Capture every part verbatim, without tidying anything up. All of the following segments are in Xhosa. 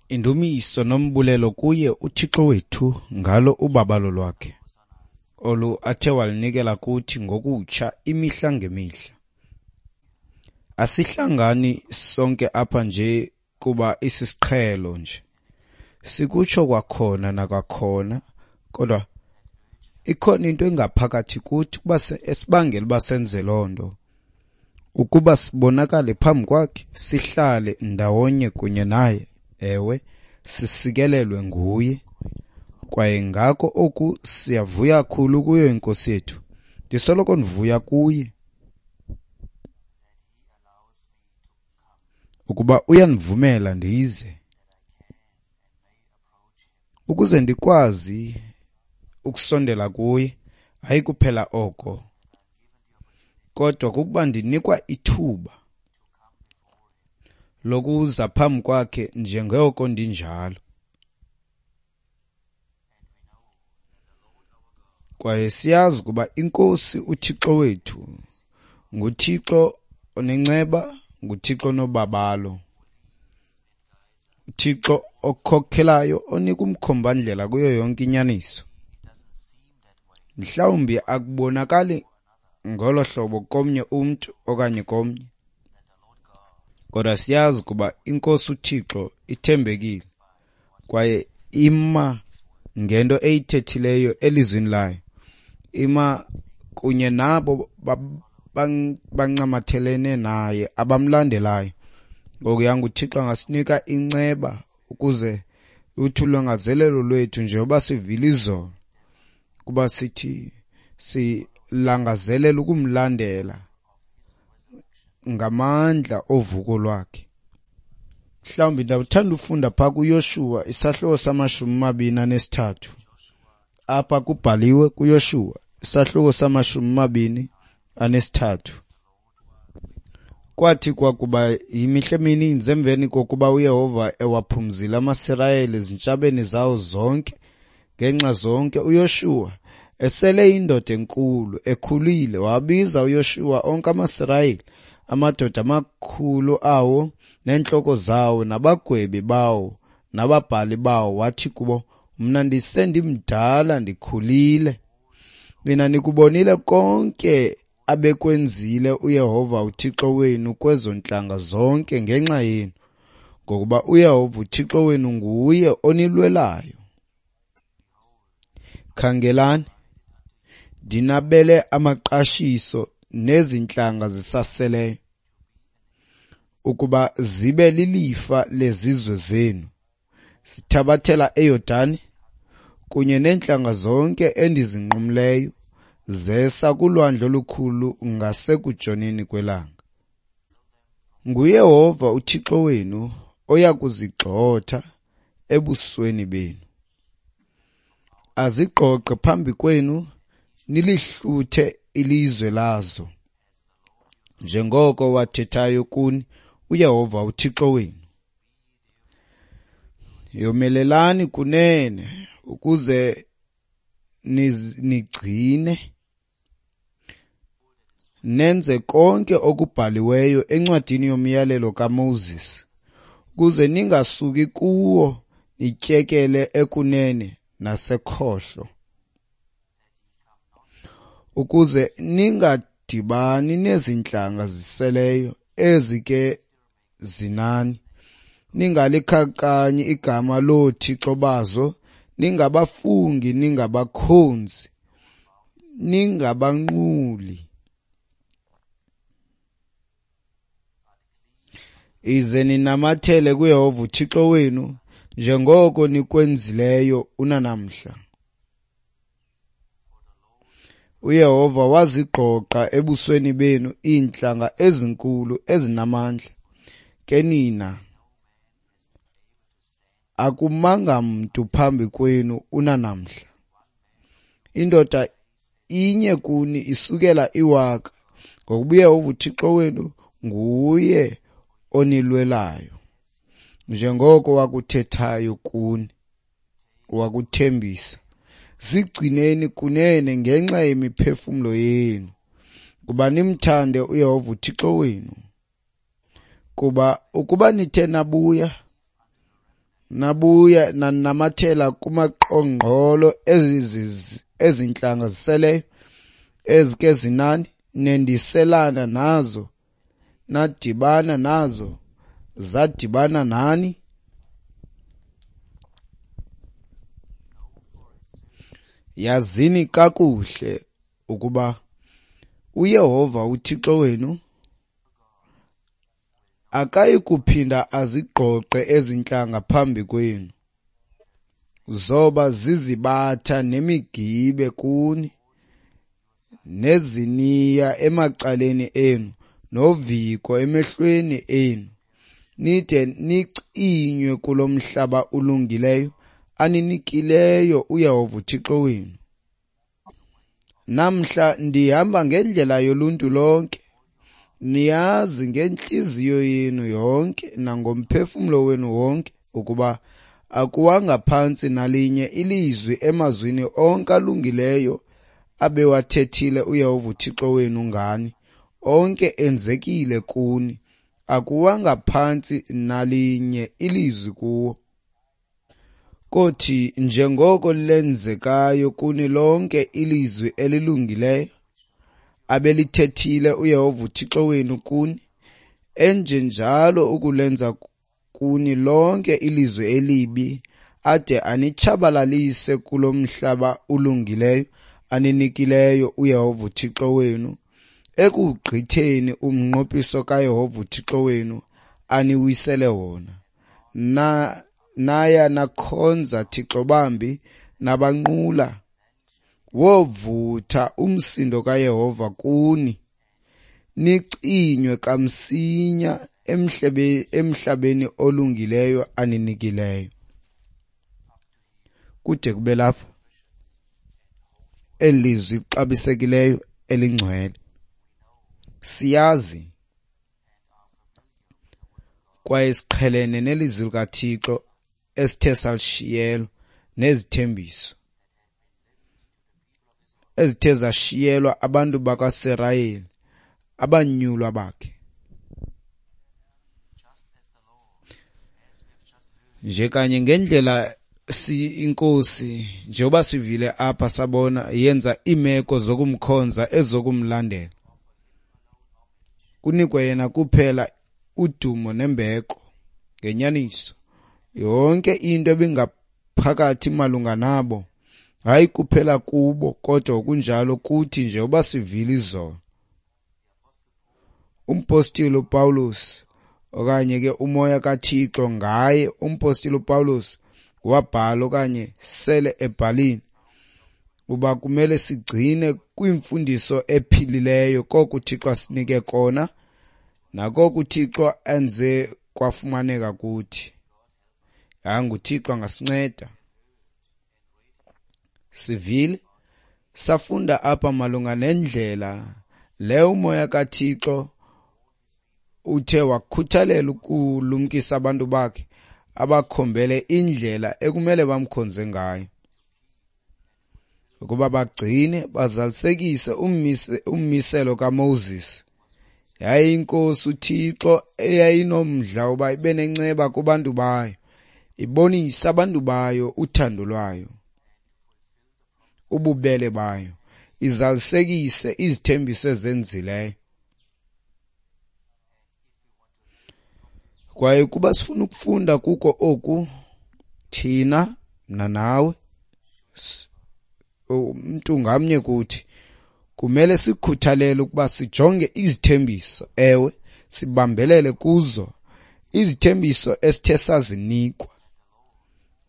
Indumiso nombulelo kuye uThixo wethu ngalo ubabalo lwakhe, olu athe walunikela kuthi ngokutsha imihla ngemihla. Asihlangani sonke apha nje kuba isisiqhelo nje. Sikutsho kwakhona nakwakhona, kodwa ikhona into engaphakathi kuthi kuba esibangela uba senze loo nto, ukuba sibonakale phambi kwakhe, sihlale ndawonye kunye naye, ewe, sisikelelwe nguye. Kwaye ngako oku siyavuya kakhulu kuyo iNkosi yethu. Ndisoloko ndivuya kuye ukuba uyandivumela ndize, ukuze ndikwazi ukusondela kuye. Hayi kuphela oko, kodwa kukuba ndinikwa ithuba lokuza phambi kwakhe njengoko ndinjalo. Kwaye siyazi ukuba iNkosi uThixo wethu nguThixo onenceba, nguThixo onobabalo, uThixo okhokhelayo, onika umkhombandlela kuyo yonke inyaniso. Mhlawumbi akubonakali ngolo hlobo komnye umntu okanye komnye, kodwa siyazi ukuba iNkosi uThixo ithembekile kwaye ima ngento eyithethileyo elizwini layo, ima kunye nabo bancamathelene naye abamlandelayo. Ngoku yanga uThixo angasinika inceba ukuze uthi ulangazelelo lwethu njengoba sivile izolo, kuba sithi silangazelela ukumlandela ngamandla ovuko lwakhe. Mhlawumbi ndawuthanda ufunda phaa kuYoshuwa isahluko samashumi mabini anesithathu. Apha kubhaliwe kuYoshuwa isahluko samashumi mabini anesithathu. Kwathi kwakuba yimihla emininzi emveni kokuba uYehova ewaphumzile amaSirayeli ezintshabeni zawo zonke ngenxa zonke, uYoshuwa esele indoda enkulu ekhulile, wabiza uYoshuwa onke amaSirayeli, amadoda amakhulu awo neentloko zawo nabagwebi bawo nababhali bawo, wathi kubo, mna ndisendimdala ndikhulile. Nina nikubonile konke abekwenzile uYehova uThixo wenu kwezo ntlanga zonke ngenxa yenu, ngokuba uYehova uThixo wenu nguye onilwelayo. Khangelani, ndinabele amaqashiso nezi ntlanga zisaseleyo, ukuba zibe lilifa lezizwe zenu, zithabathela eYordani kunye neentlanga zonke endizinqumleyo, zesa kulwandle olukhulu ngasekutshoneni kwelanga. NguYehova uThixo wenu oya kuzigxotha ebusweni benu, azigqogqe phambi kwenu, nilihluthe ilizwe lazo, njengoko wathethayo kuni uYehova uThixo wenu. Yomelelani kunene ukuze nigcine nenze konke okubhaliweyo encwadini yomyalelo kaMoses, ukuze ningasuki kuwo nityekele ekunene nasekhohlo, ukuze ningadibani nezintlanga ziseleyo ezi ke zinani, ningalikhakanyi igama loothixo bazo, ningabafungi, ningabakhonzi, ningabanquli. Ize ninamathele kuYehova uThixo wenu njengoko nikwenzileyo unanamhla. uYehova wazigqogqa ebusweni benu iintlanga ezinkulu ezinamandla, ke nina akumanga mntu phambi kwenu unanamhla. Indoda inye kuni isukela iwaka, ngokuba uYehova uThixo wenu nguye onilwelayo, njengoko wakuthethayo kuni, wakuthembisa. Zigcineni kunene ngenxa yemiphefumlo yenu, kuba nimthande uYehova uThixo wenu. Kuba ukuba nithe nabuya Nabuya nanamathela kumaqongqolo ezi ntlanga ziseleyo, ezike zinani, nendiselana nazo, nadibana nazo, zadibana nani. Yazini kakuhle ukuba uYehova uThixo wenu akayi kuphinda azigqogqe ezi ntlanga phambi kwenu. Zoba zizibatha nemigibe kuni, neziniya emacaleni enu, noviko emehlweni enu, nide nicinywe kulo mhlaba ulungileyo aninikileyo uYehova uThixo wenu. Namhla ndihamba ngendlela yoluntu lonke, niyazi ngentliziyo yenu yonke nangomphefumlo wenu wonke ukuba akuwanga phantsi nalinye ilizwi emazwini onke alungileyo abewathethile uYehova uThixo wenu ngani, onke enzekile kuni, akuwanga phantsi nalinye ilizwi kuwo. Kothi njengoko lenzekayo kuni lonke ilizwi elilungileyo abelithethile uYehova uThixo wenu kuni, enjenjalo ukulenza kuni lonke ilizwi elibi, ade anitshabalalise kulo mhlaba ulungileyo aninikileyo uYehova uThixo wenu, ekugqitheni umnqophiso kaYehova uThixo wenu aniwisele wona. Na naya nakhonza thixo bambi nabanqula, wovutha umsindo kaYehova kuni, nicinywe kamsinya emhlabeni olungileyo aninikileyo. Kude kube lapha eli lizwi lixabisekileyo elingcwele. Siyazi kwaye siqhelene nelizwi likaThixo esithe salishiyelwa nezithembiso ezithe zashiyelwa abantu bakwaSirayeli, abanyulwa bakhe. Nje kanye ngendlela si inkosi, njengoba sivile apha sabona, yenza iimeko zokumkhonza ezokumlandela. Kunikwe yena kuphela udumo nembeko ngenyaniso. Yonke into ebingaphakathi malunga nabo, hayi kuphela kubo, kodwa kunjalo kuthi njengoba sivile izolo. Umpostile uPawulos, okanye ke umoya kaThixo ngaye, umpostile uPawulos wabhala okanye sele ebhalile uba kumele sigcine kwimfundiso ephilileyo koko uThixo asinike kona nakoko uThixo enze kwafumaneka kuthi. Hayi, uThixo angasinceda. Sivile safunda apha malunga nendlela leyo umoya kaThixo uthe wakhuthalela ukulumkisa abantu bakhe abakhombele indlela ekumele bamkhonze ngayo, ukuba bagcine bazalisekise ummiselo kaMoses. Yaye inkosi uThixo eyayinomdla uba ibe nenceba kubantu bayo, ibonise abantu bayo uthando lwayo, ububele bayo, izalisekise izithembiso ezenzileyo. Kwaye kuba sifuna ukufunda kuko oku, thina mna nawe, umntu ngamnye kuthi kumele sikhuthalele ukuba sijonge izithembiso, ewe, sibambelele kuzo izithembiso esithe sazinikwa,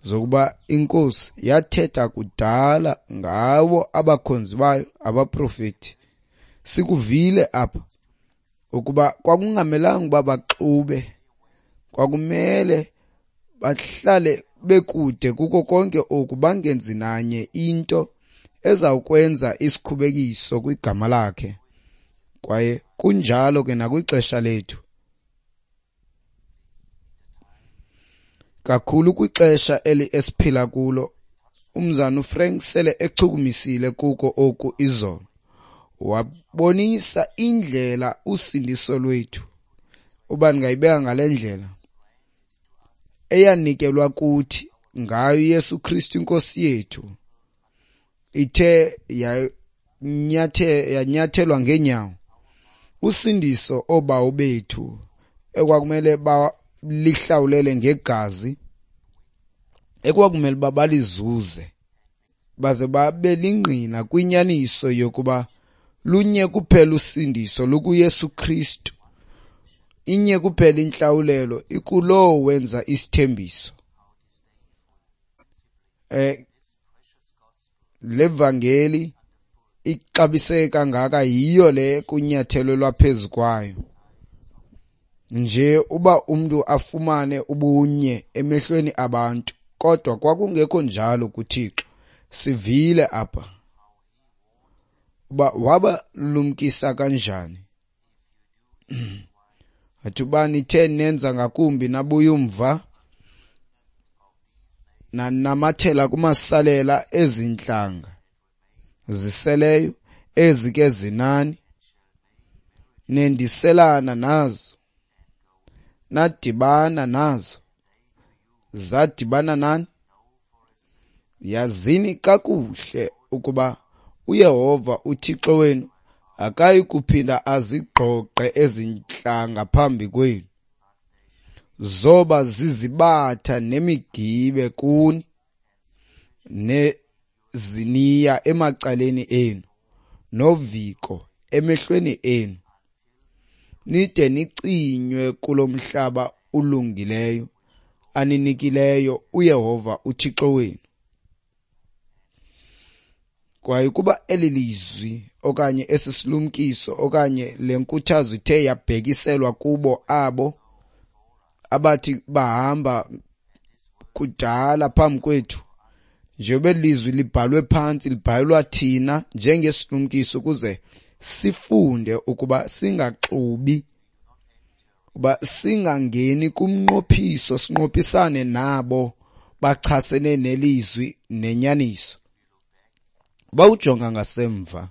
zokuba inkosi yathetha kudala ngawo abakhonzi bayo abaprofeti. Sikuvile apha ukuba kwakungamelanga uba baxube, kwakumele bahlale bekude kuko konke oku, bangenzi nanye into ezawukwenza isikhubekiso kwigama lakhe. Kwaye kunjalo ke nakwixesha lethu, kakhulu kwixesha eli esiphila kulo. Umzana uFrank sele echukumisile kuko oku izolo, wabonisa indlela usindiso lwethu, uba ndingayibeka ngale ndlela, eyanikelwa kuthi ngayo Yesu Kristu inkosi yethu ithe yanyathe yanyathelwa ngenyawo, usindiso obawo bethu ekwakumele balihlawulele ngegazi, ekwakumele balizuze baze babe lingqina kwinyaniso yokuba lunye kuphela usindiso lukuYesu Kristu, inye kuphela intlawulelo ikulowo wenza isithembiso. Eh le vangeli ixabiseke kangaka yiyo le kunyathelelwa phezu kwayo nje uba umntu afumane ubunye emehlweni abantu, kodwa kwakungekho njalo kuThixo. Sivile apha uba wabalumkisa kanjani, athi uba nithe nenza ngakumbi nabuya umva nanamathela kumasalela ezintlanga ziseleyo ezi ke zinani, nendiselana nazo, nadibana nazo, zadibana nani, yazini kakuhle ukuba uYehova uThixo wenu akayi kuphinda azigqogqe ezintlanga phambi kwenu, zoba zizibatha nemigibe kuni neziniya emacaleni enu noviko emehlweni enu, nide nicinywe kulo mhlaba ulungileyo aninikileyo uYehova uThixo wenu. Kwaye kuba eli lizwi okanye esi silumkiso okanye le nkuthazo ithe yabhekiselwa kubo abo abathi bahamba kudala phambi kwethu, njengoba lizwi libhalwe phantsi libhalelwa thina njengesilumkiso ukuze sifunde ukuba singaxubi, uba singangeni kumnqophiso, sinqophisane nabo bachasene nelizwi nenyaniso. Bawujonga ngasemva,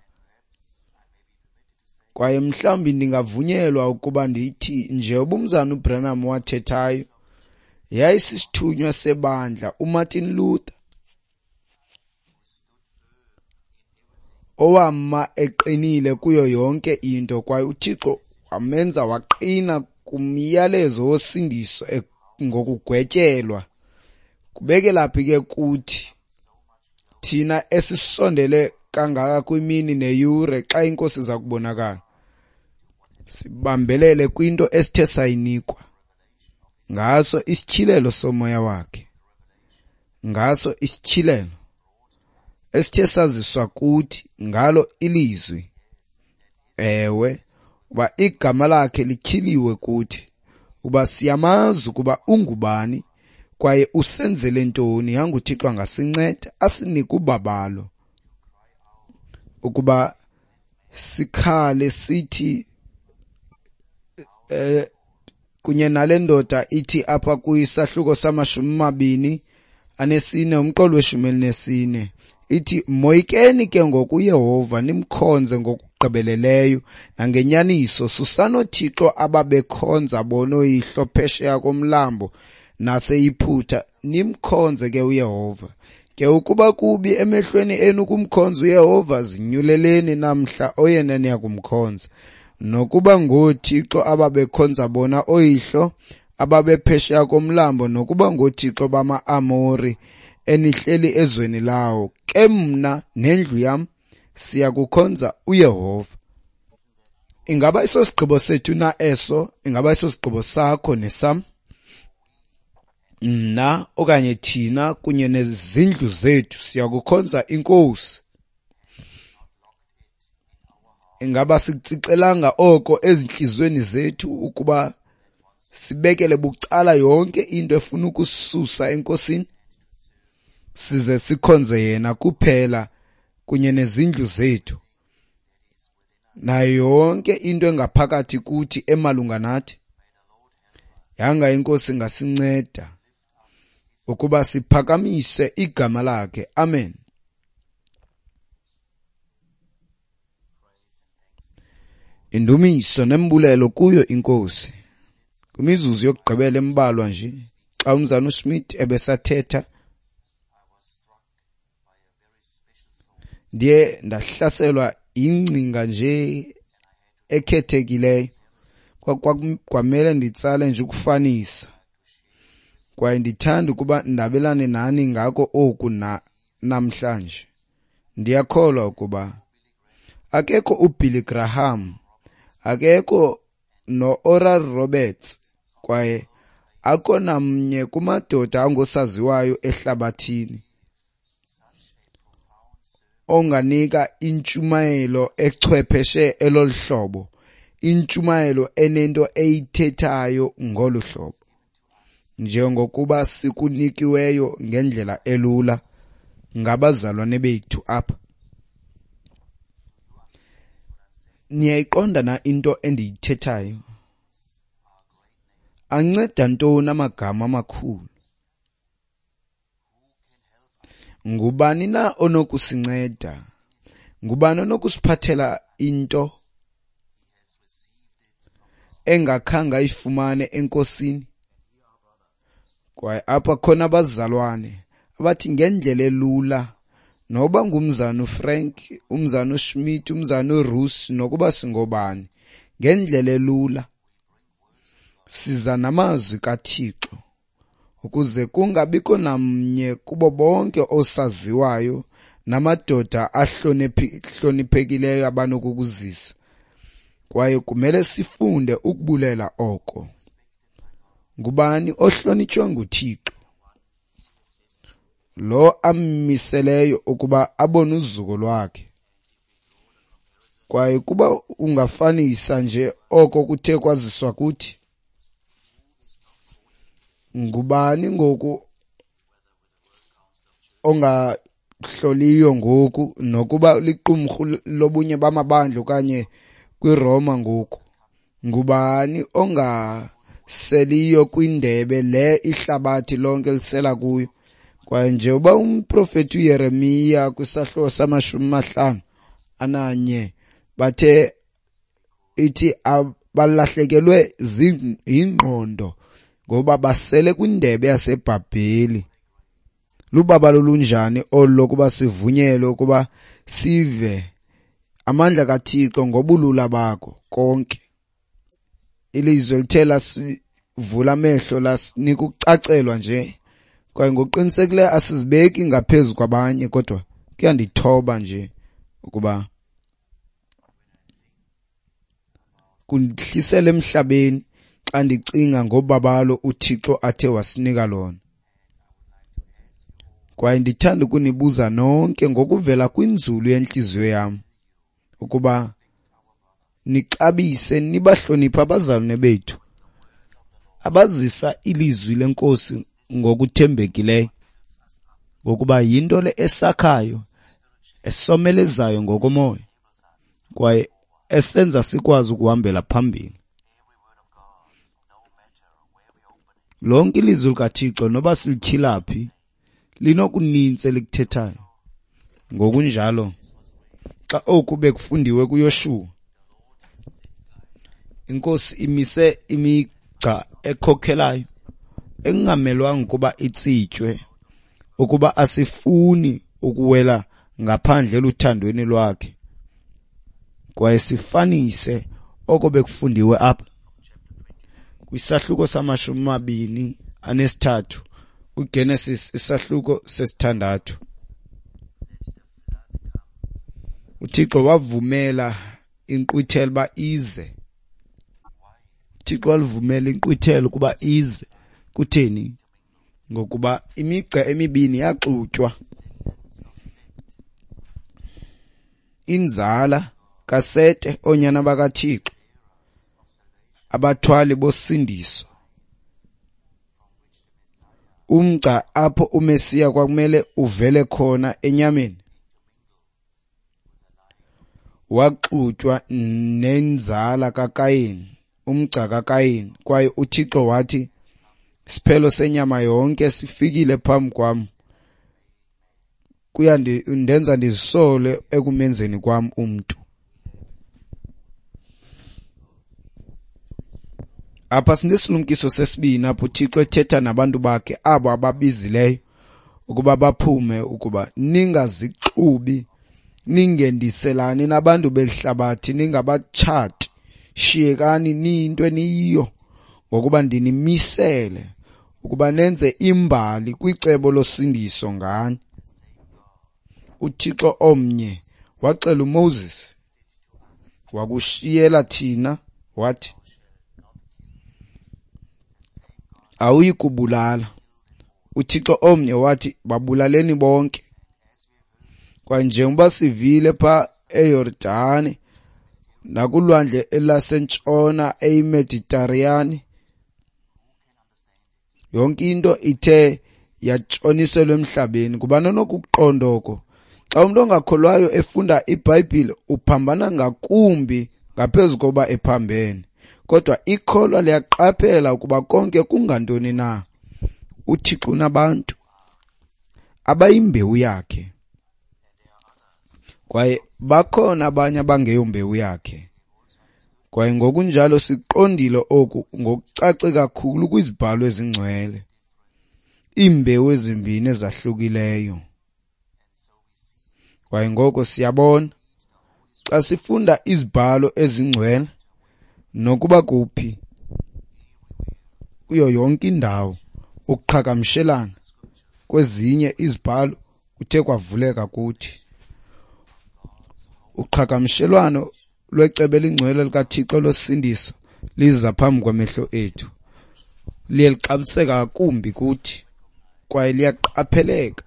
kwaye mhlawumbi ndingavunyelwa ukuba ndithi nje ubumzana uBranham wathethayo yayisisithunywa sebandla uMartin Luther, owama eqinile kuyo yonke into, kwaye uThixo wamenza waqina kumyalezo wosindiso ngokugwetyelwa. Kubekelaphi ke kuthi thina esisondele kangaka kwimini neyure xa inkosi iza kubonakala, sibambelele kwinto esithe sayinikwa ngaso isityhilelo somoya wakhe, ngaso isityhilelo esithe saziswa kuthi ngalo ilizwi. Ewe, uba igama lakhe lityhiliwe kuthi, uba siyamazi ukuba ungubani kwaye usenzele ntoni. YanguThixo angasinceda asinike ubabalo ukuba sikhale sithi eh kunye nale ndoda ithi apha kwisahluko samashumi mabini anesine umqolo weshumi elinesine ithi, moyikeni ke ngoku uYehova nimkhonze ngokugqibeleleyo nangenyaniso, susani oothixo ababekhonza bona ooyihlo phesheya komlambo naseYiphutha, nimkhonze ke uYehova. Ke ukuba kubi emehlweni enu ukumkhonza uYehova, zinyuleleni namhla oyena niya kumkhonza, nokuba ngoothixo ababekhonza bona ooyihlo ababephesheya komlambo, nokuba ngoothixo bama-Amori enihleli ezweni lawo. Ke mna nendlu yam siya kukhonza uYehova. Ingaba iso sigqibo sethu na eso? Ingaba iso sigqibo sakho nesam? Mna okanye thina kunye nezindlu zethu siya kukhonza inkosi. Ingaba sikutsixelanga oko ezintliziyweni zethu ukuba sibekele bucala yonke into efuna ukususa enkosini, size sikhonze yena kuphela kunye nezindlu zethu nayo yonke into engaphakathi kuthi emalunga nathi? Yanga inkosi ingasinceda ukuba siphakamise igama lakhe. Amen. Indumiso nembulelo kuyo inkosi. Kwimizuzu yokugqibela embalwa nje, Xa umzana uSmith ebesathetha, ndiye ndahlaselwa ingcinga nje ekhethekileyo. Kwamele nditsale nje ukufanisa, kwaye ndithanda ukuba ndabelane nani ngako oku na namhlanje. Ndiyakholwa ukuba akekho uBilly Graham, akekho no-Oral Roberts, kwaye akho namnye kumadoda angosaziwayo ehlabathini onganika intshumayelo echwepheshe elolu hlobo, intshumayelo enento eyithethayo ngolu hlobo, njengokuba sikunikiweyo ngendlela elula ngabazalwane bethu apha. Niyayiqonda na into endiyithethayo? Anceda ntoni amagama amakhulu? Ngubani na onokusinceda? Ngubani onokusiphathela into engakhange ayifumane eNkosini? Kwaye apha khona abazalwane abathi ngendlela elula, noba ngumzana uFrank, umzana uSmith, umzana uRuss, nokuba singobani, ngendlela elula siza namazwi kaThixo ukuze kungabikho namnye kubo bonke osaziwayo namadoda ahloniphekileyo abanokukuzisa. Kwaye kumele sifunde ukubulela oko. Ngubani ohlonitshwa nguThixo? Lo ammiseleyo ukuba abone uzuko lwakhe. Kwaye kuba ungafanisa nje oko kuthe kwaziswa kuthi, ngubani ngoku ongahloliyo ngoku, nokuba liqumrhu lobunye bamabandla okanye kwiRoma ngoku? Ngubani ongaseliyo kwindebe le ihlabathi lonke lisela kuyo? Kwaye nje uba umprofeti uYeremiya kwisahluko samashumi amahlanu ananye bathe ithi abalahlekelwe yingqondo ngoba basele kwindebe yaseBhabheli. Lubabalo lunjani olu lokuba sivunyelwe ukuba sive amandla kaThixo ngobulula bako konke. Ilizwe lithe lasivula amehlo, lasinika ukucacelwa nje. Kwaye ngokuqinisekileyo asizibeki ngaphezu kwabanye, kodwa kuyandithoba nje ukuba kundihlisele emhlabeni xa ndicinga ngobabalo uThixo athe wasinika lona. Kwaye ndithanda ukunibuza nonke ngokuvela kwinzulu yentliziyo yam ukuba nixabise nibahloniphe abazalwane bethu abazisa ilizwi leNkosi ngokuthembekileyo, ngokuba yinto le esakhayo, esomelezayo ngokomoya, kwaye esenza sikwazi ukuhambela phambili. Lonke ilizwi likaThixo noba silityhila phi linokunintsi elikuthethayo. Ngokunjalo, xa oku bekufundiwe kuYoshuwa, iNkosi imise imigca ekhokhelayo ekungamelwanga ukuba itsitywe, ukuba asifuni ukuwela ngaphandle eluthandweni lwakhe. Kwaye sifanise oko bekufundiwe apha kwisahluko samashumi amabini anesithathu kwiGenesis isahluko sesithandathu. UThixo wavumela inkqwithela uba ize. UThixo walivumela inkqwithela ukuba ize. Kutheni? Ngokuba imigca emibini yaxutywa. Inzala kaSete, oonyana bakaThixo, abathwali bosindiso. Umgca apho uMesiya kwakumele uvele khona enyameni waxutywa nenzala kaKayini, umgca kaKayini. Kwaye uThixo wathi, isiphelo senyama yonke sifikile phambi kwam, kuyandenza ndizisole ekumenzeni kwam umntu. Apha sinesilumkiso sesibini apho uThixo ethetha nabantu bakhe abo ababizileyo ukuba baphume, ukuba ningazixubi, ningendiselani nabantu belihlabathi, ningabatshati, shiyekani niyinto eniyiyo, ngokuba ndinimisele ukuba nenze imbali kwicebo losindiso ngani. UThixo omnye waxela uMoses, wakushiyela thina, wathi awuyi kubulala. UThixo omnye wathi babulaleni bonke. Kwaye njengoba sivile pha eYordani nakulwandle elasentshona eyiMediterranean, yonke into ithe yatshoniselwa emhlabeni. Ngubani onokuqonda oko? Xa umuntu ongakholwayo efunda iBhayibhile uphambana ngakumbi ngaphezu koba ephambene. Kodwa ikholwa liyaqaphela ukuba konke kungantoni na. UThixo unabantu abayimbewu yakhe, kwaye bakhona abanye abangeyombewu yakhe. Kwaye ngokunjalo siqondile oku ngokucace kakhulu kwizibhalo ezingcwele, iimbewu ezimbini ezahlukileyo. Kwaye ngoko siyabona xa sifunda izibhalo ezingcwele nokuba kuphi kuyo yonke indawo, ukuqhagamshelana kwezinye izibhalo kuthe kwavuleka kuthi. Uqhagamshelwano lwecebo elingcwele likaThixo losindiso liza phambi kwamehlo ethu, liye lixabiseka ngakumbi kuthi kwaye liyaqapheleka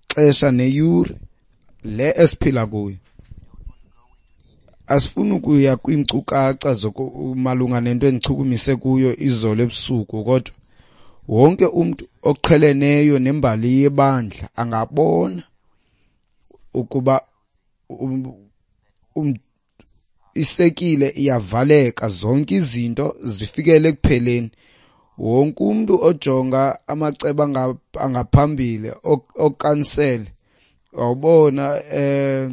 xesha neyure le esiphila kuyo. Asifuni ukuya kwiinkcukacha malunga nento endichukumise kuyo izolo ebusuku, kodwa wonke umntu oqheleneyo nembali yebandla angabona ukuba um, isekile iyavaleka, zonke izinto zifikele ekupheleni. Wonke umntu ojonga amacebo angaphambili okansele awubona eh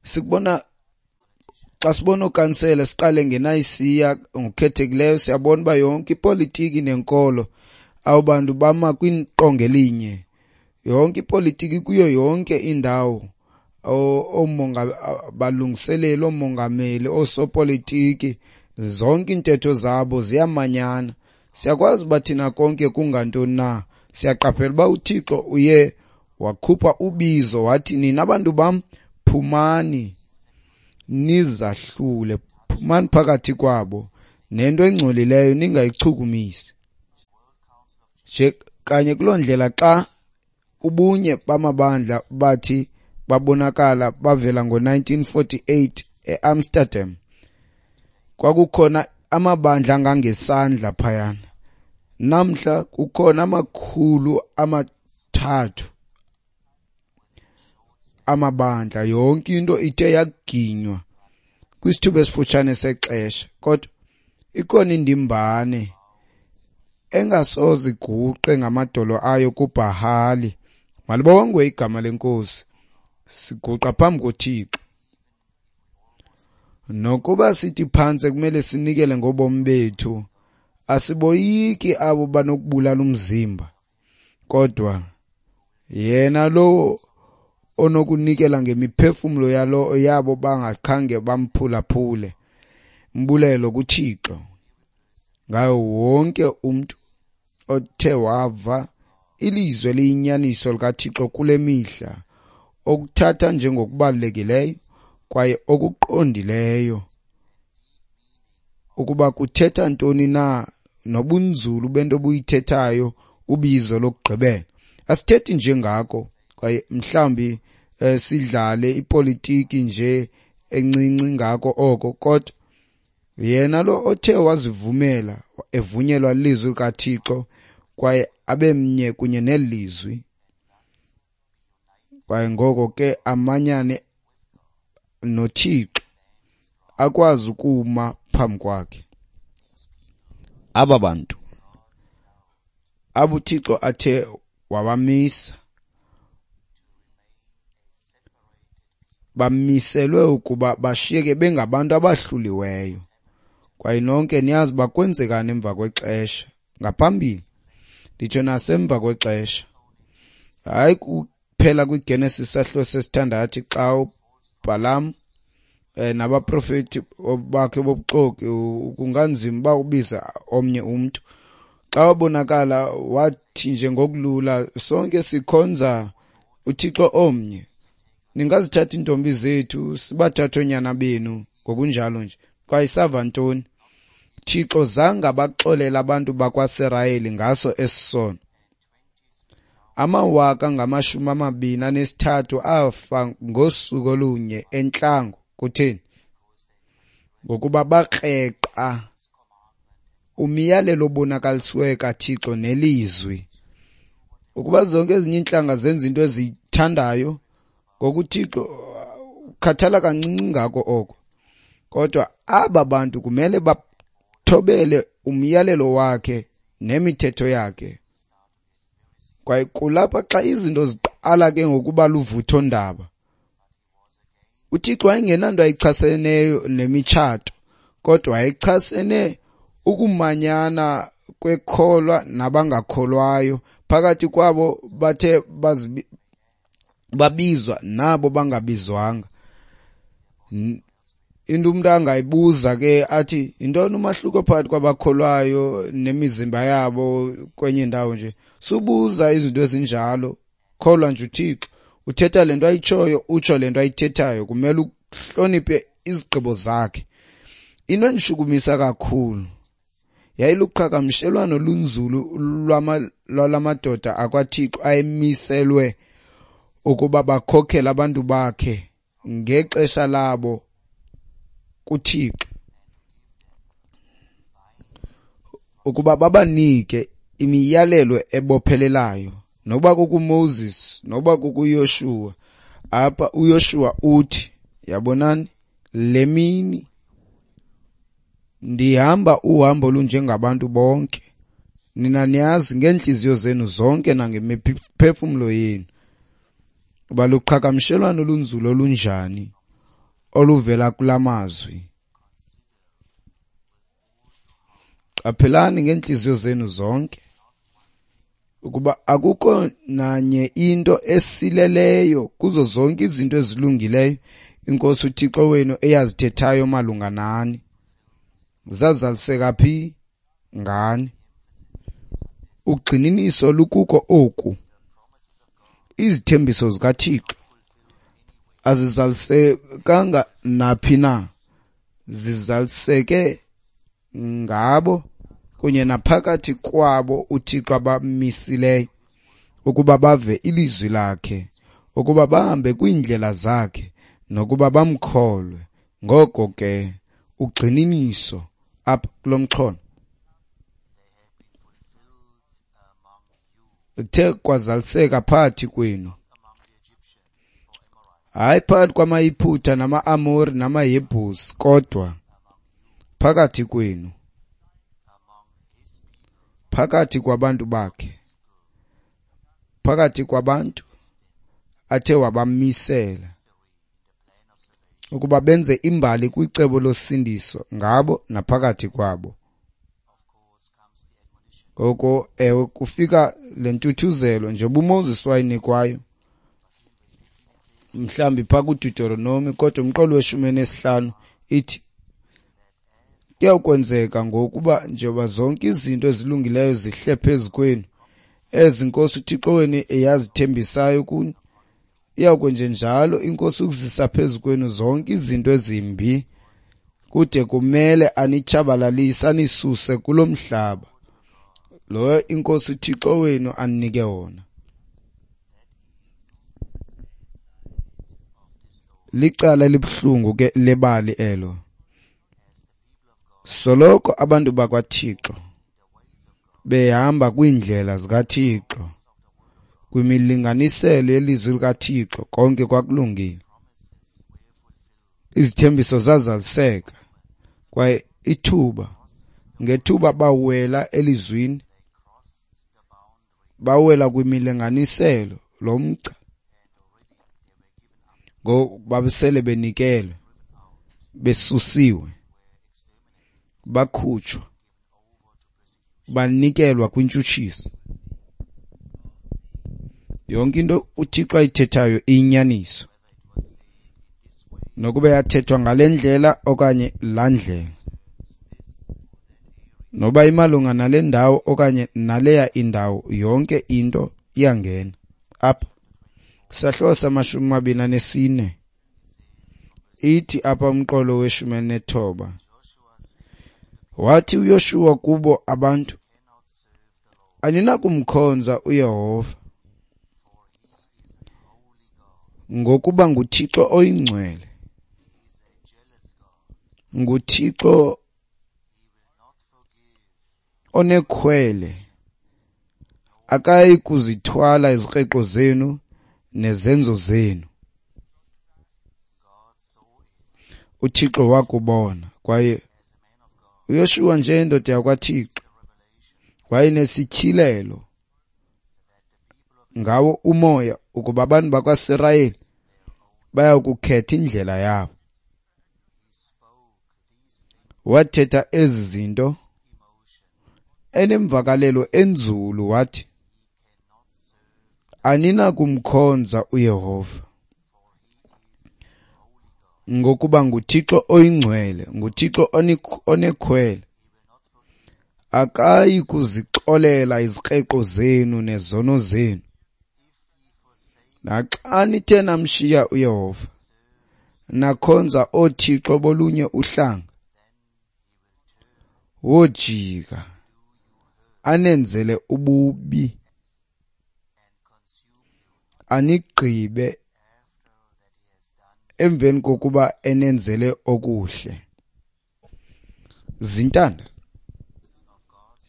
sikubona xa sibona okansele siqale ngeNayisiya ngokukhethekileyo, siyabona uba yonke ipolitiki nenkolo abo bantu bama kwiqonga elinye. Yonke ipolitiki kuyo yonke indawo, balungiseleli, oomongameli, oosopolitiki, zonke iintetho zabo ziyamanyana. Siyakwazi uba thina konke kungantoni na. Siyaqaphela uba uThixo uye wakhupha ubizo wathi, nina bantu bam phumani nizahlule, phumani phakathi kwabo, nento engcolileyo ningayichukumisi. Nje kanye kuloo ndlela xa ubunye bamabandla bathi babonakala bavela ngo nineteen forty-eight eAmsterdam, kwakukhona amabandla angangesandla phayana. Namhla kukhona amakhulu amathathu amabandla. Yonke into ithe yaginywa kwisithuba esifutshane sexesha, kodwa ikhona indimbane engasoze iguqe ngamadolo ayo kuBhahali. Malibongwe igama leNkosi. Siguqa phambi koThixo. Nokuba sithi phantse kumele sinikele ngobomi bethu, asiboyiki abo banokubulala umzimba, kodwa yena lowo onokunikela ngemiphefumlo yalo yabo bangakhange bamphulaphule. Mbulelo kuThixo ngayo wonke umntu othe wava ilizwi eliyinyaniso likaThixo kule mihla, okuthatha njengokubalulekileyo kwaye okuqondileyo ukuba kuthetha ntoni na nobunzulu bento obuyithethayo ubizo lokugqibela. Asithethi nje ngako kwaye mhlawumbi eh, sidlale ipolitiki nje encinci ngako oko, kodwa yena lo othe wazivumela evunyelwa lizwi kaThixo kwaye abe mnye kunye nelizwi, kwaye ngoko ke amanyane noThixo akwazi ukuma phambi kwakhe. Aba bantu abuThixo athe wabamisa bamiselwe ukuba bashiyeke bengabantu abahluliweyo Kwaye nonke niyazi uba kwenzekani emva kwexesha, ngaphambili nditsho nasemva kwexesha. Hayi kuphela kwiGenesis sahluko sesithandathu xa uBhalam eh, nabaprofeti bakhe bobuxoki, kunganzima uba ubiza omnye umntu. Xa wabonakala wathi nje ngokulula, sonke sikhonza uThixo omnye, ningazithatha iintombi zethu sibathathe oonyana benu, ngokunjalo nje. Kwaye sava ntoni? Thixo zange abaxolela abantu bakwaSirayeli ngaso esi sono. Amawaka ngamashumi amabini anesithathu afa ngosuku olunye entlango. Kutheni? Ngokuba bakreqa umyalelo obonakalisiweyo kaThixo nelizwi. Ukuba zonke ezinye iintlanga zenza into eziyithandayo, ngoku uThixo ukhathala kancinci ngako oko. Kodwa aba bantu kumele bathobele umyalelo wakhe nemithetho yakhe. Kwaye kulapha xa izinto ziqala ke ngokuba luvuthondaba. UThixo wayengenanto ayichaseneyo nemitshato, kodwa wayechasene ukumanyana kwekholwa nabangakholwayo phakathi kwabo bathe babizwa nabo bangabizwanga. Into umuntu angayibuza ke athi yintoni umahluko phakathi kwabakholwayo nemizimba yabo kwenye indawo nje. Subuza izinto ezinjalo, kholwa nje uThixo. Uthetha lento ayitshoyo, utsho lento ayithethayo, kumele uhloniphe izigqibo zakhe. Into endishukumisa kakhulu yayiluqhagamshelwano olunzulu lwalamadoda akwaThixo ayemiselwe ukuba bakhokhele abantu bakhe ngexesha labo kuThixo, ukuba babanike imiyalelo ebophelelayo, noba kukuMoses noba kukuYoshuwa. Apha uYoshuwa uthi, yabonani, le mini ndihamba uhambo olunjengabantu bonke, nina niyazi ngeentliziyo zenu zonke nangemiphefumlo yenu uba luqhagamshelwano olunzulu olunjani oluvela kula mazwi. Qaphelani ngeentliziyo zenu zonke ukuba akukho nanye into esileleyo kuzo zonke izinto ezilungileyo iNkosi uThixo wenu eyazithethayo malunga nani. Zazaliseka phi? Ngani. Ugxininiso lukuko oku: izithembiso zikaThixo azizalisekanga naphi na, zizaliseke ngabo kunye naphakathi kwabo uThixo abamisileyo ukuba bave ilizwi lakhe, ukuba bahambe kwiindlela zakhe, nokuba bamkholwe. Ngoko ke ugxininiso apha kulo mxholo uthe kwazaliseka phakathi kwenu, hayi phakathi kwamaYiphutha nama-Amori namaYebhusi, kodwa phakathi kwenu, phakathi kwabantu bakhe, phakathi kwabantu athe wabamisela ukuba benze imbali kwicebo losindiso ngabo naphakathi kwabo. Ngoko ewe, kufika le ntuthuzelo njengoba uMoses wayinikwayo mhlambi phaa kuDeuteronomy, kodwa umqolo weshumi enesihlanu ithi kuyakwenzeka ngokuba njengoba zonke izinto ezilungileyo zihle phezu kwenu, ezi Nkosi uThixo wenu eyazithembisayo kuni, iyakwenjenjalo iNkosi ukuzisa phezu kwenu zonke izinto ezimbi, kude kumele anitshabalalise anisuse kulo mhlaba lo iNkosi uThixo wenu aninike wona. Licala elibuhlungu ke lebali elo. Soloko abantu bakwaThixo behamba kwiindlela zikaThixo, kwimilinganiselo yelizwi likaThixo, konke kwakulungile. Izithembiso zazaliseka, kwaye ithuba ngethuba bawela elizwini, bawela kwimilinganiselo lomgca, ngo babesele benikelwe, besusiwe, Bakhutshwa, banikelwa kwintshutshiso. Yonke into uThixo ayithethayo iyinyaniso, nokuba yathethwa ngale ndlela okanye laa ndlela, noba imalunga nale ndawo okanye naleya indawo, yonke into iyangena apha. Isahluko samashumi amabini anesine ithi apha umqolo weshumi elinethoba, wathi uYoshuwa kubo abantu, aninakumkhonza uYehova, ngokuba nguThixo oyingcwele, nguThixo onekhwele, akayi kuzithwala izikreqo zenu nezenzo zenu. UThixo wakubona, kwaye uYoshuwa njengendoda yakwaThixo wayenesityhilelo ngawo umoya ukuba abantu bakwaSirayeli baya kukhetha indlela yabo. Wathetha ezi zinto enemvakalelo enzulu, wathi, aninakumkhonza uYehova, ngokuba nguThixo oyingcwele, nguThixo onekhwele, akayi kuzixolela izikreqo zenu nezono zenu. Naxa nithe namshiya uYehova, nakhonza oothixo bolunye uhlanga, wojika anenzele ububi, anigqibe emveni kokuba enenzele okuhle. Zintanda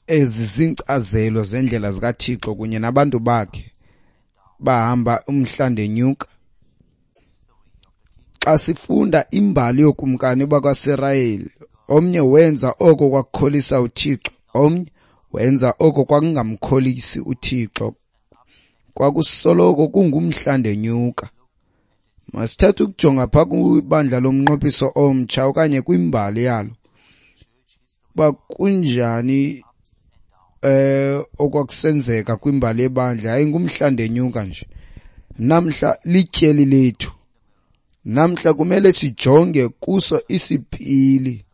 ezi zinkcazelo zendlela zikaThixo kunye nabantu bakhe bahamba umhla ndenyuka. Xa sifunda imbali yokumkani bakwaSirayeli, omnye wenza oko kwakukholisa uThixo, omnye wenza oko kwakungamkholisi uThixo. Kwakusoloko kungumhla ndenyuka. Masithathe ukujonga phaa kwibandla lomnqophiso omtsha okanye kwimbali yalo, uba kunjani eh okwakusenzeka kwimbali yebandla. Yayingumhla ndenyuka nje. Namhla lityeli lethu. Namhla kumele sijonge kuso isipili.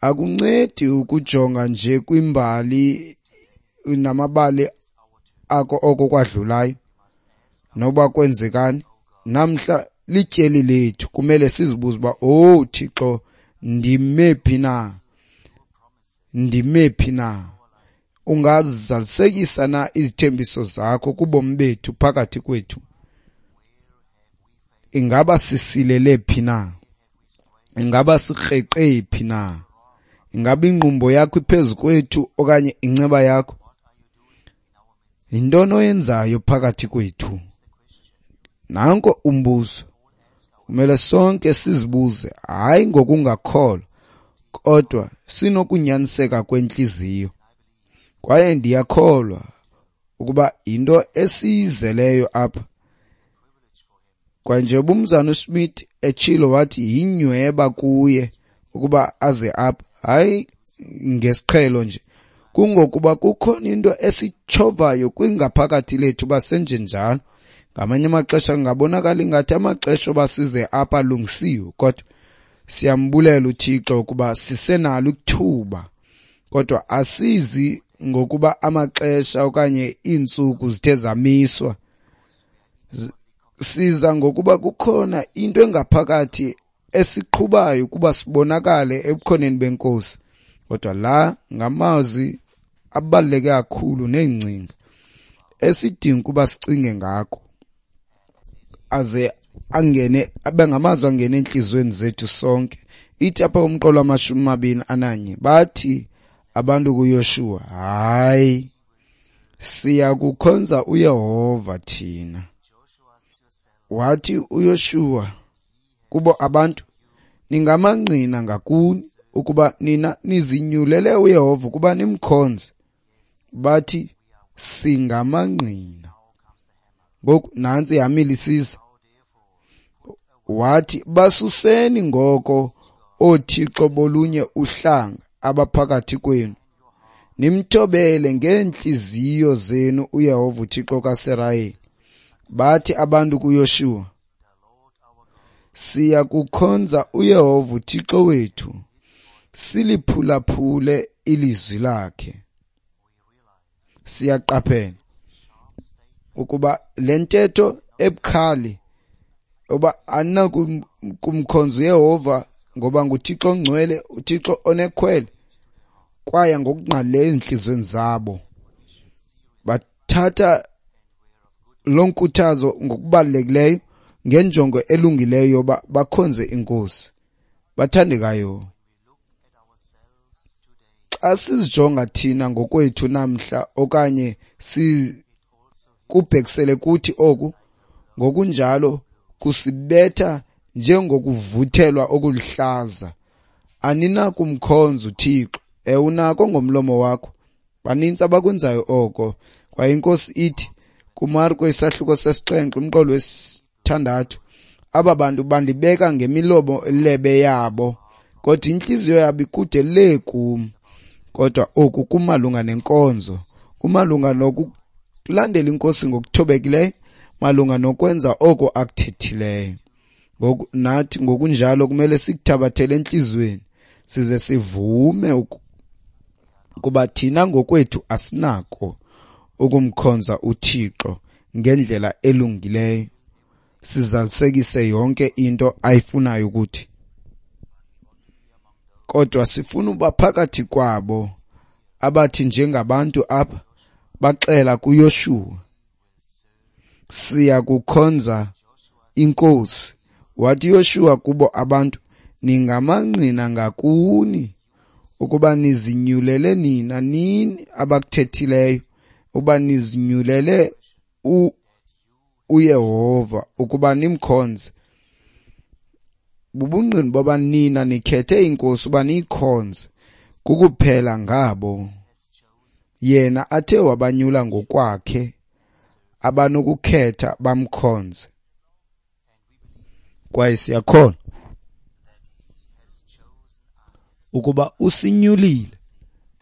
Akuncedi ukujonga nje kwimbali namabali ako oko kwadlulayo noba kwenzekani. Namhla lityeli lethu, kumele sizibuze uba, oh Thixo, ndime phi na? Ndime phi na? Ungazalisekisa na izithembiso zakho kubomi bethu phakathi kwethu? Ingaba sisilele phi na? Ingaba sikreqe phi na? Ingaba ingqumbo yakho iphezu kwethu okanye inceba yakho? Yintoni oyenzayo phakathi kwethu? Nanko umbuzo. Kumele sonke sizibuze, hayi ngokungakholwa, kodwa sinokunyaniseka kwentliziyo. Kwaye ndiyakholwa ukuba yinto esiyizeleyo apha. Kwaye nje umzana uSmith etshilo wathi yinyweba kuye ukuba aze apha, hayi ngesiqhelo nje, kungokuba kukhona into esitshovayo kwingaphakathi lethu basenjenjalo. Ngamanye amaxesha kungabonakala ingathi amaxesha oba size apha alungisiwe, kodwa siyambulela uThixo ukuba sisenalo ithuba. Kodwa asizi ngokuba amaxesha okanye iintsuku zithe zamiswa. Siza ngokuba kukhona into engaphakathi esiqhubayo ukuba sibonakale ebukhoneni beNkosi. Kodwa la ngamazwi abaluleke kakhulu neengcinga esidinga ukuba sicinge ngako, aze angene abe ngamazwi angene entliziyweni zethu sonke. Ithi apha umqolo wamashumi amabini ananye, bathi abantu kuYoshuwa, hayi, siya kukhonza uYehova thina. Wathi uYoshuwa kubo abantu, ningamangqina ngakuni ukuba nina nizinyulele uYehova ukuba nimkhonze. Bathi singamangqina. Ngoku nantsi ihamile isiza. Wathi basuseni ngoko oothixo bolunye uhlanga abaphakathi kwenu, nimthobele ngeentliziyo zenu uYehova uThixo kaSirayeli. Bathi abantu kuYoshuwa, siya kukhonza uYehova uThixo wethu, siliphulaphule ilizwi lakhe. Siyaqaphela ukuba le ntetho ebukhali oba aninakumkhonza uYehova ngoba nguThixo ongcwele, uThixo onekhwele, kwaya ngokungqalileyo ezintliziyweni zabo. Bathatha loo nkuthazo ngokubalulekileyo ngenjongo elungileyo yoba bakhonze iNkosi. Bathandekayo, xa sizijonga thina ngokwethu namhla okanye sikubhekisele kuthi oku, ngokunjalo kusibetha njengokuvuthelwa okuluhlaza. Aninakumkhonza uThixo. Ewe, unako ngomlomo wakho. Banintsi abakwenzayo oko. Kwaye iNkosi ithi kuMarko isahluko sesixhenxe umqolo wesithandathu, aba bantu bandibeka ngemilomo lebe yabo, kodwa intliziyo yabo ikude le kum. Kodwa oku kumalunga nenkonzo, kumalunga nokulandela iNkosi ngokuthobekileyo, malunga nokwenza oko akuthethileyo. Ngoku nathi ngokunjalo kumele sikuthabathele entliziyweni size sivume ukuba thina ngokwethu asinako ukumkhonza uThixo ngendlela elungileyo, sizalisekise yonke into ayifunayo ukuthi. Kodwa sifuna uba phakathi kwabo abathi njengabantu apha baxela kuYoshuwa, siya kukhonza iNkosi. Wathi uYoshuwa kubo abantu, ningamangqina ngakuni ukuba nizinyulele nina nini abakuthethileyo, uba nizinyulele uYehova ukuba nimkhonze. Bubungqina boba nina nikhethe iNkosi uba niyikhonze, kukuphela ngabo yena athe wabanyula ngokwakhe abanokukhetha bamkhonze. Kwaye siyakholwa ukuba usinyulile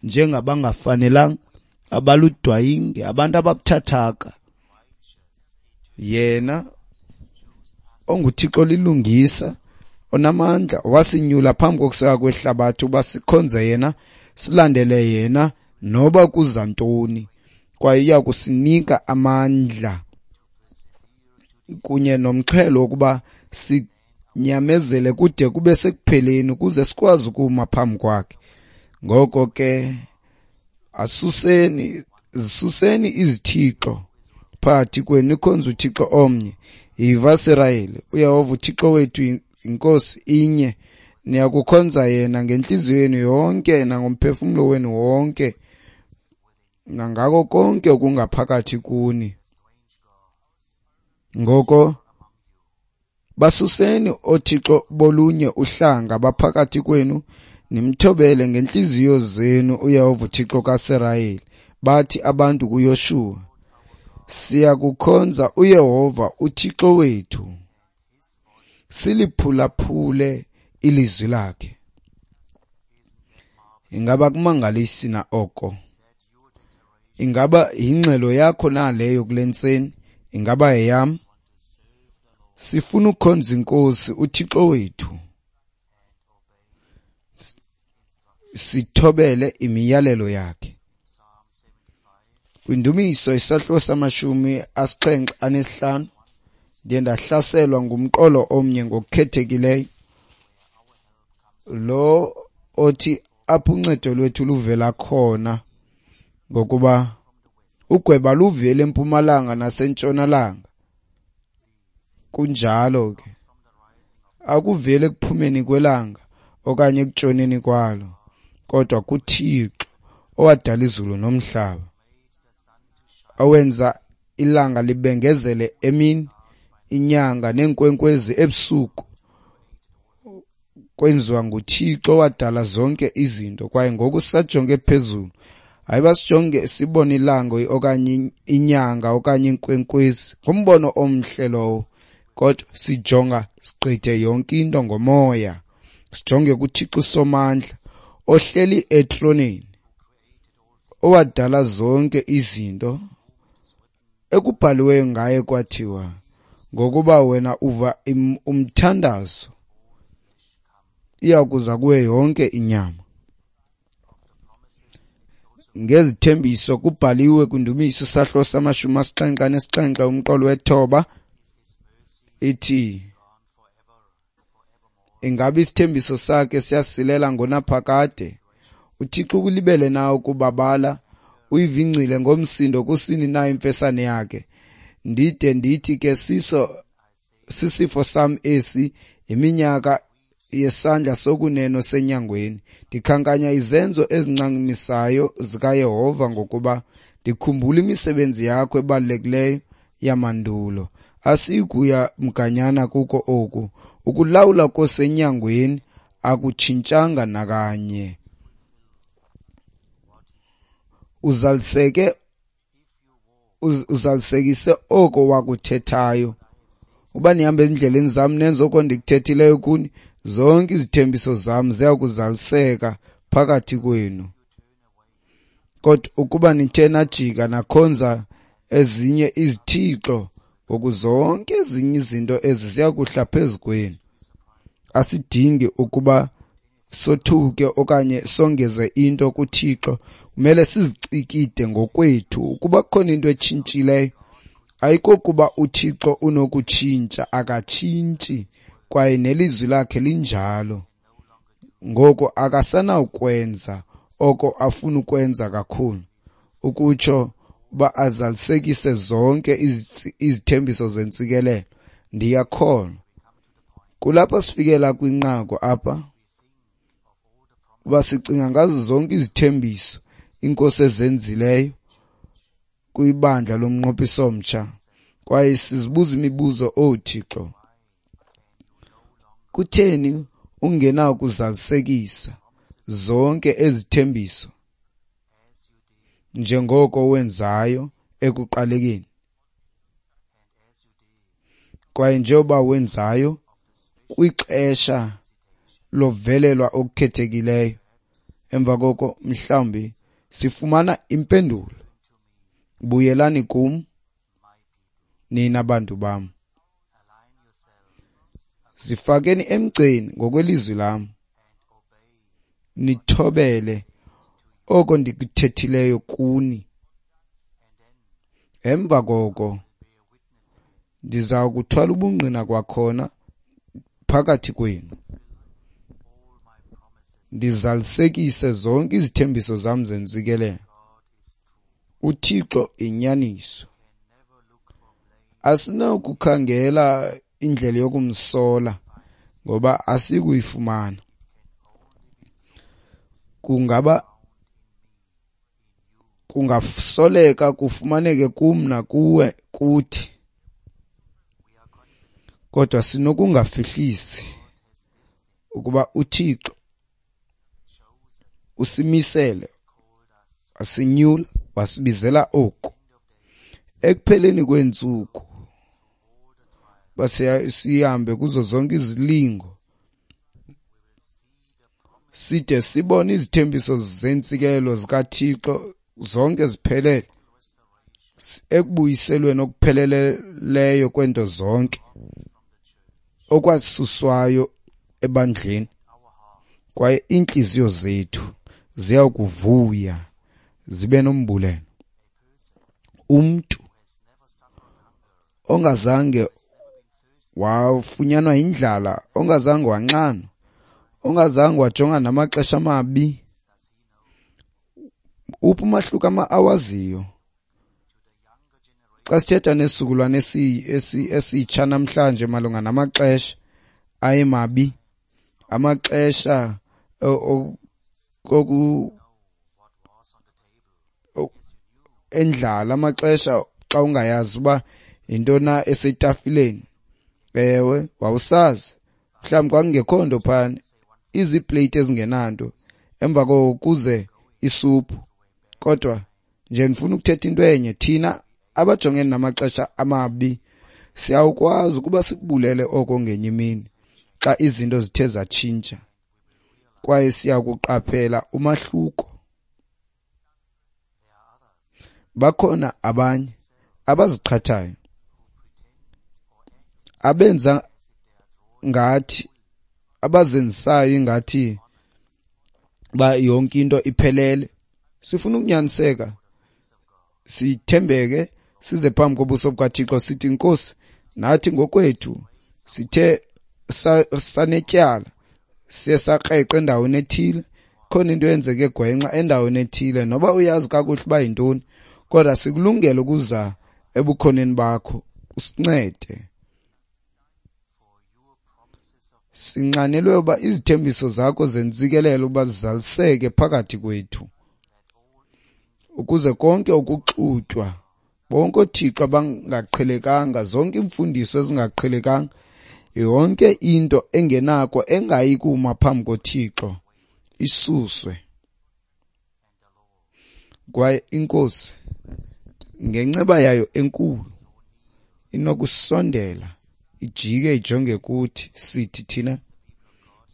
njengabangafanelanga, abaludwayinge, abantu ababuthathaka. Yena onguThixo lilungisa onamandla wasinyula phambi kokuseka kwehlabathi uba sikhonze yena, silandele yena noba kuza ntoni, kwaye uya kusinika amandla kunye nomxhelo wokuba sinyamezele kude kube sekupheleni ukuze sikwazi ukuma phambi kwakhe. Ngoko ke asuseni, zisuseni izithixo phakathi kwenu, nikhonze uThixo omnye. Yiva Sirayeli, uYehova uThixo wethu iNkosi inye, niyakukhonza yena ngentliziyo yenu yonke nangomphefumlo wenu wonke nangako konke okungaphakathi kuni. Ngoko basuseni oothixo bolunye uhlanga baphakathi kwenu, nimthobele ngentliziyo zenu uYehova uThixo kaSirayeli. Bathi abantu kuYoshuwa, siyakukhonza uYehova uThixo wethu, siliphulaphule ilizwi lakhe. Ingaba kumangalisi na oko? Ingaba yingxelo yakho na leyo kule ntseni? Ingaba yeyam? Sifuna ukukhonza iNkosi uThixo wethu, sithobele imiyalelo yakhe. Kwindumiso isahluko samashumi asixhenxe anesihlanu, ndiye ndahlaselwa ngumqolo omnye ngokukhethekileyo, lo othi apho uncedo lwethu luvela khona, ngokuba ugweba luvela empumalanga nasentshonalanga. Kunjalo ke, akuveli ekuphumeni kwelanga okanye ekutshoneni kwalo, kodwa kuThixo owadala izulu nomhlaba, owenza ilanga libengezele emini, inyanga neenkwenkwezi ebusuku. Kwenziwa nguThixo owadala zonke izinto. Kwaye ngoku sisajonge phezulu, hayi basijonge sibone ilanga okanye inyanga okanye iinkwenkwezi, ngumbono omhle lowo, kodwa sijonga sigqithe yonke into ngomoya. Sijonge kuThixo Somandla ohleli etroneni, owadala zonke izinto, ekubhaliweyo ngaye kwathiwa, ngokuba wena uva umthandazo, iyakuza kuwe yonke inyama. Ngezithembiso kubhaliwe kwindumiso sahlo samashumi asixhenxe anesixhenxe umqolo wethoba, ithi, ingabe isithembiso sakhe siyasilela ngonaphakade? UThixo ukulibele na ukubabala? Uyivingcile ngomsindo kusini na imfesane yakhe? Ndide ndithi ke siso sisifo sam esi, iminyaka yesandla sokuneno senyangweni. Ndikhankanya izenzo ezincamisayo zikaYehova, ngokuba ndikhumbula imisebenzi yakho ebalulekileyo yamandulo. Asiyikuya mganyana kuko oku. Ukulawula kosenyangweni akutshintshanga nakanye. Uzaliseke uzalisekise oko wakuthethayo. Uba nihambe ezindleleni zam nenze oko ndikuthethileyo kuni, zonke izithembiso zam ziya kuzaliseka phakathi kwenu. Kodwa ukuba nithe najika nakhonza ezinye izithixo, ngoku zonke ezinye izinto ezi ziya kuhla phezu kwenu. Asidingi ukuba sothuke okanye songeze into kuThixo. Kumele sizicikide ngokwethu. Ukuba kukhona into etshintshileyo, ayikokuba uThixo unokutshintsha, akatshintshi, kwaye nelizwi lakhe linjalo. Ngoko akasanawukwenza oko afuna ukwenza kakhulu, ukutsho uba azalisekise zonke izithembiso zentsikelelo. Ndiyakholwa kulapho sifikela kwinqaku apha, uba sicinga ngazo zonke izithembiso iNkosi ezenzileyo kwibandla lomnqophiso omtsha, kwaye sizibuza imibuzo, oh Thixo, kutheni ungenakuzalisekisa zonke ezithembiso njengoko wenzayo ekuqalekeni, kwaye njengoba wenzayo kwixesha lovelelwa okukhethekileyo? Emva koko mhlawumbi sifumana impendulo, buyelani kum nina bantu bam, zifakeni emgceni ngokwelizwi lam, nithobele oko ndikuthethileyo kuni. Emva koko ndiza kuthwala ubungqina kwakhona phakathi kwenu, ndizalisekise zonke izithembiso zam zentsikelelo. UThixo inyaniso. Asinakukhangela indlela yokumsola, ngoba asikuyifumana. Kungaba kungasoleka kufumaneke kum nakuwe kuthi, kodwa sinokungafihlisi ukuba uThixo usimisele, wasinyula, wasibizela oku. Ekupheleni kweentsuku basihambe kuzo zonke izilingo, side sibone izithembiso zentsikelelo zikaThixo zonke ziphelele, ekubuyiselweni okupheleleyo kwento zonke okwasuswayo ebandleni, kwaye iintliziyo zethu ziya kuvuya zibe nombulelo. Umntu ongazange wafunyanwa yindlala, ongazange wanxanwa, ongazange wajongana namaxesha amabi, uphi umahluko awaziyo? Xa sithetha nesizukulwane esitsha namhlanje malunga namaxesha ayemabi, amaxesha oku endlala, amaxesha xa ungayazi uba yintoni na esetafileni. Ewe, wawusazi mhlawumbi kwakungekho nto phana, izipleyiti ezingenanto, emva koko kuze isuphu. Kodwa nje ndifuna ukuthetha into enye, thina abajongene namaxesha amabi siyawukwazi ukuba sikubulele oko ngenye imini xa izinto zithe zatshintsha. Kwaye siyakuqaphela umahluko. Bakhona abanye abaziqhathayo, abenza ngathi, abazenzisayo ingathi ba yonke into iphelele. Sifuna ukunyaniseka, sithembeke, size phambi kobuso bukaThixo sithi, Nkosi, nathi ngokwethu sithe sanetyala, siye sakreqa endaweni ethile, khona into eyenzeke gwenxa endaweni ethile, noba uyazi kakuhle uba yintoni, kodwa sikulungele ukuza ebukhoneni bakho usincede. Sinxanelwe uba izithembiso zakho zentsikelelo uba zizaliseke phakathi kwethu, ukuze konke ukuxutywa, bonke oothixo abangaqhelekanga, zonke iimfundiso ezingaqhelekanga, yonke into engenako engayi kuma phambi koThixo isuswe. Kwaye iNkosi ngenceba yayo enkulu inokusondela ijike ijonge kuthi, sithi thina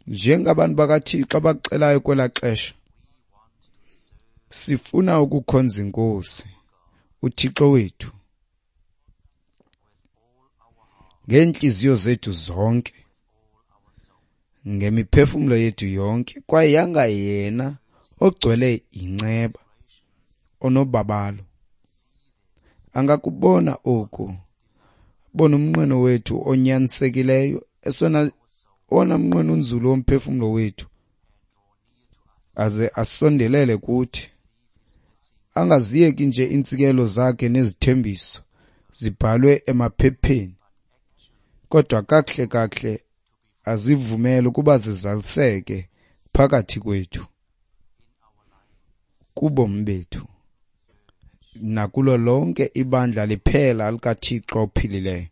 njengabantu bakaThixo abaxelayo kwelaa xesha, sifuna ukukhonza iNkosi uThixo wethu ngeentliziyo zethu zonke, ngemiphefumlo yethu yonke, kwaye yanga yena ogcwele inceba onobabalo angakubona oku, bona umnqweno wethu onyanisekileyo, esona owona mnqweno unzulu womphefumlo wethu, aze asondelele kuthi, angaziyeki nje iintsikelo zakhe nezithembiso zibhalwe emaphepheni, kodwa kakuhle kakuhle azivumele ukuba zizaliseke phakathi kwethu, kubomi bethu, nakulo lonke ibandla liphela likaThixo ophilileyo.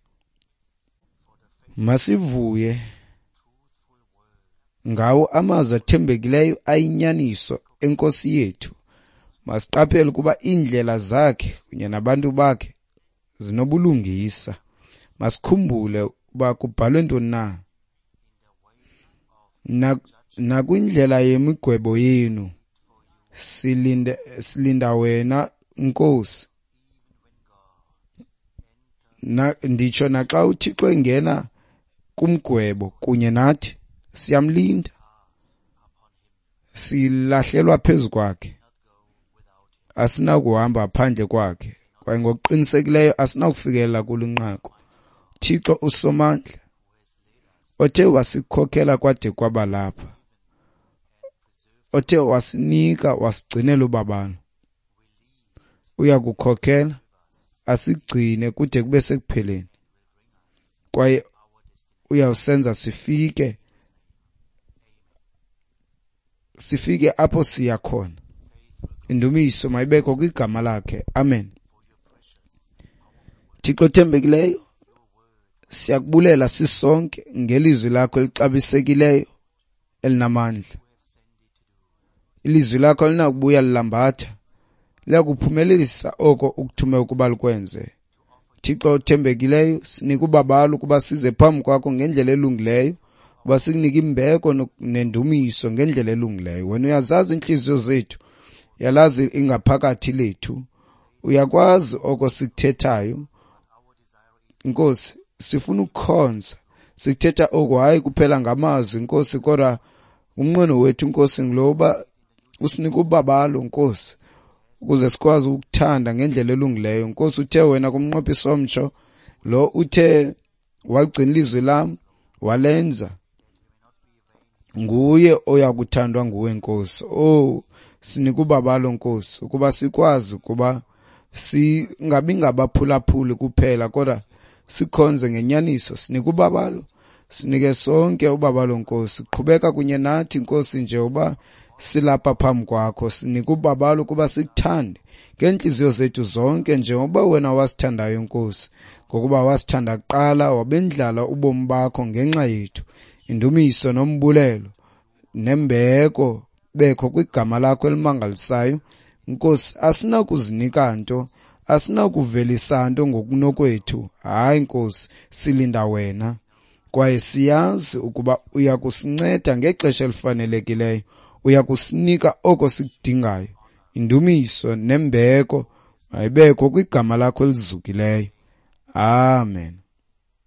Masivuye ngawo amazwi athembekileyo ayinyaniso eNkosi yethu. Masiqaphele ukuba iindlela zakhe kunye nabantu bakhe zinobulungisa. Masikhumbule uba kubhalwe ntoni na. Nakwindlela yemigwebo yenu silinde, silinda wena Nkosi. Na nditsho naxa uThixo engena kumgwebo kunye nathi, siyamlinda, silahlelwa phezu kwakhe, asinakuhamba phandle kwakhe, kwaye ngokuqinisekileyo asinakufikelela kulunqaku. Thixo usomandla othe wasikhokhela kwade kwaba lapha, othe wasinika wasigcinela ubabalo, uyakukhokhela asigcine kude kube sekupheleni, kwaye uyawusenza sifike sifike apho siya khona. Indumiso mayibekho kwigama lakhe. Amen. Thixo othembekileyo, siyakubulela sisonke ngelizwi lakho elixabisekileyo elinamandla. Ilizwi lakho alinakubuya lilambatha, liyakuphumelelisa oko ukuthume ukuba likwenze. Thixo othembekileyo, sinika ubabalo ukuba size phambi kwakho ngendlela elungileyo, ukuba sikunike imbeko nendumiso ngendlela elungileyo. Wena uyazazi iintliziyo zethu, uyalazi ingaphakathi lethu, uyakwazi oko sikuthethayo. Nkosi, sifuna ukukhonza, sikuthetha oku hayi kuphela ngamazwi Nkosi, kodwa umnqweno wethu Nkosi ngulo uba usinike ubabalo Nkosi, ukuze sikwazi ukuthanda ngendlela elungileyo. Nkosi, uthe wena kumnqophiso omtsho lo uthe wagcina ilizwi lam walenza, nguye oyakuthandwa nguwe Nkosi. Oh, sinike ubabalo Nkosi, ukuba sikwazi ukuba singabi ngabaphulaphuli kuphela, kodwa sikhonze ngenyaniso. Sinike ubabalo, sinike sonke ubabalo Nkosi. Qhubeka kunye nathi Nkosi nje uba silapha phambi kwakho. Sinike ubabalo ukuba sikuthande ngeentliziyo zethu zonke njengoba wena wasithandayo Nkosi, ngokuba wasithanda kuqala wabendlala ubomi bakho ngenxa yethu. Indumiso nombulelo nembeko bekho kwigama lakho elimangalisayo Nkosi. Asinakuzinika nto, asinakuvelisa nto ngokunokwethu. Hayi Nkosi, silinda wena, Kwaye siyazi ukuba uya kusinceda ngexesha elifanelekileyo, uya kusinika oko sikudingayo. Indumiso nembeko mayibekho kwigama lakho elizukileyo. Amen.